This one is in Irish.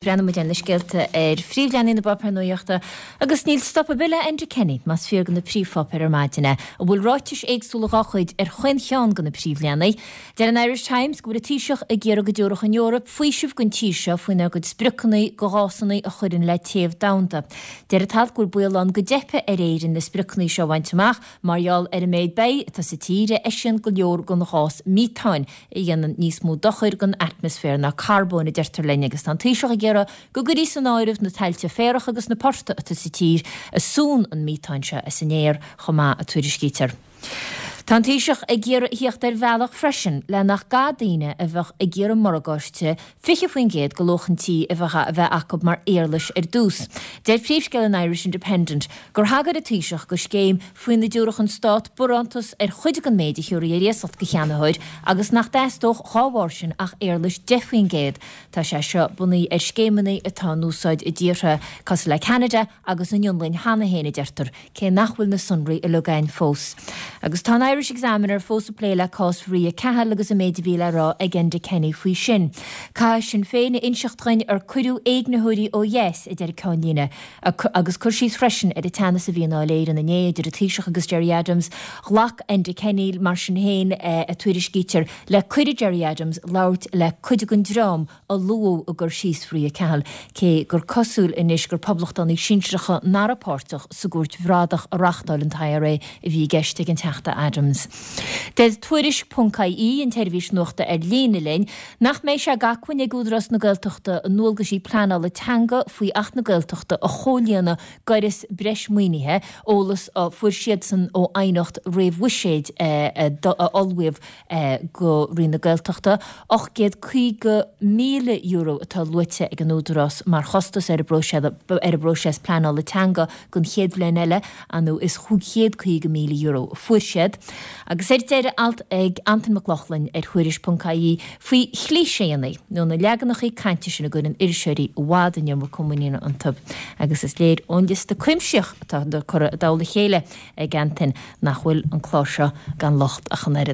Breathnóidh muid ar na scéalta ar phríomhleathanaigh na bpáipéar nuachta agus níl stop ar bith le Enda Kenny, más fíor do na príomhpháipéir ar maidin é, a bhfuil ráitis éagsúla dhá chuid ar chaon cheann de na príomhleathanaigh. Deir an Irish Times go bhfuil an Taoiseach ag iarraidh go dtabharfadh an Eoraip faoiseamh don tír seo faoinár gcuid spriocanna do ghásanna a chuireann le téamh domhanda. Deir an t-alt go bhfuil baol ann go dteipfidh ar Éirinn na spriocanna seo a bhaint amach mar gheall ar an méid beithígh atá sa tír a eisíonn go leor den ghás meatáin a dhéanann níos mó dochair don atmaisféar ná carbóin, a deirtear linn, agus tá an Taoiseach ag iarraidh go gcuirfí san áireamh na tailte féarach agus na portaigh atá sa tír a súnn an meatán seo as an aer chomh maith, a tuairiscítear. Tá an Taoiseach ag iarraidh a thíocht ar bhealach freisin le nach gcaithfidh daoine a bheadh ag iarraidh morgáiste 20% de luach an tí a bheith acu mar éarlais ar dtús. Deir príomhscéal an Irish Independent gur thagair an Taoiseach do scéim faoina dtabharfadh an Stát barántas ar chuid den méid a thiúrfaí ar iasacht do cheannaitheoir agus nach dteastódh dhá bharr sin ach éarlais 10%. Tá sé seo bunaithe ar scéimeanna atá in úsáid i dtíortha cosúil le Ceanada agus an Fhionlainn cheana féin, a deirtear, cé nach bhfuil na sonraí uilig againn fós. Agus tá an Irish Examiner fós ag plé le cás Mharia Cahill agus an méid a bhí le rá ag Enda Kenny faoi sin. Caithfidh Sinn Féin a inseacht dhuinn ar cuireadh éignitheoirí ó dheas, a deir an ceannlíne. Agus cur síos freisin ar an teannas a bhí i nDáil Éireann inné idir an Taoiseach agus Gerry Adams. Ghlac Enda Kenny, mar sin féin, a tuairiscítear, le cuireadh Gerry Adams labhairt le cuid den dream a luadh i gcur síos Mharia Cahill, cé gur cosúil anois gur poblachtánaigh sinsearacha nach raibh páirteach sa gcúirt bhradach a reáchtáil an t-IRA a bhí i gceist ag an Teachta Adams. Deir Tuairisc ponc ie, an tseirbhís nuachta ar líne linn, nach mbeidh sé d'acmhainn ag Údarás na Gaeltachta a ndualgaisí pleanála teanga faoi Acht na Gaeltachta a chomhlíonadh gaireas breis maoinithe, eolas a fuair siadsan ó aighneacht réamh-bhuiséid a ullmhaíodh go Roinn na Gaeltachta. €850,000 atá luaite ag an Údarás mar chostas ar an bpróiseas pleanála teanga don chéad bhliain eile, nó is €550,000 a fuair siad. Agus ar deireadh, alt ag Antain Mac Lochlainn ar Thuairisc ponc ie faoi chlíséanna, nó na leaganacha cainte sin a gcuireann iriseoirí i bhfad an iomarca muiníne iontu. Agus is léir ón liosta cuimsitheach atá curtha i dtoll a chéile ag Antain nach bhfuil an clár seo gan locht ach an oiread.